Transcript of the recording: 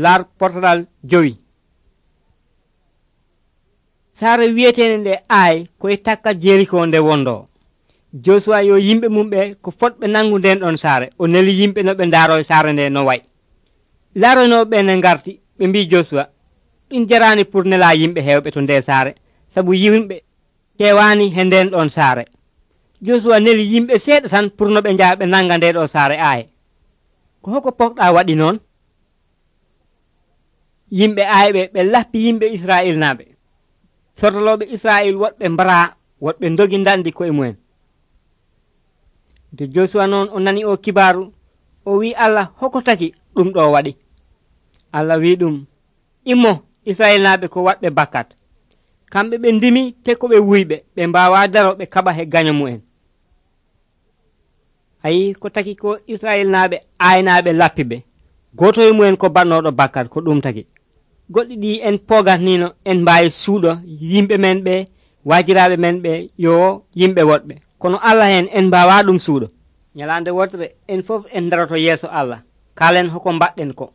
laar portalal 5. saare wi'etende nde Ai koye takka Jeriko nde wondo. Josuwa yo yimɓe mum ɓe ko fotɓe nangu nden ɗon saare, o neli yimɓe no ɓe ndaaro saare nde no wayi. Laaronoɓe ne ngarti ɓe mbi Josuwa, ɗum jarani pour nela yimɓe hewɓe to nde saare, sabu yimɓe kewani he nden ɗon saare. Josuwa neli yimɓe seeɗa tan pour no ɓe njaha ɓe nanga nde ɗo saare Ai. Ko hoko pokɗa waɗi noon? Yimɓe Ai ɓe lappi yimɓe Israil naɓe. Sordoloɓe Israil woɗɓe mbara, woɗɓe dogi ndandi koye mumen. Nde Josuwa noon o nani o kibaru, o wi Allah hoko taki ɗum ɗo waɗi. Allah wi ɗum, immo Israil naɓe ko waɗɓe bakkat. Kamɓe ɓe ndimi te ko ɓe wuyɓe, ɓe mbawa daro ɓe kaɓa he gaño mu'en. Ayi ko taki ko Israil naɓe Ai naɓe lappi ɓe, goto e mumen ko bannoɗo bakkat, ko ɗum taki. Goɗɗi ɗi en pogatnino en mbawi suuɗo yimɓe men ɓe, wajiraɓe men ɓe yo yimɓe woɗɓe, kono Allah hen en mbawa ɗum suuɗo. Nyalande wotere en fof en daroto yeeso Allah, kalen hoko mbaɗɗen ko.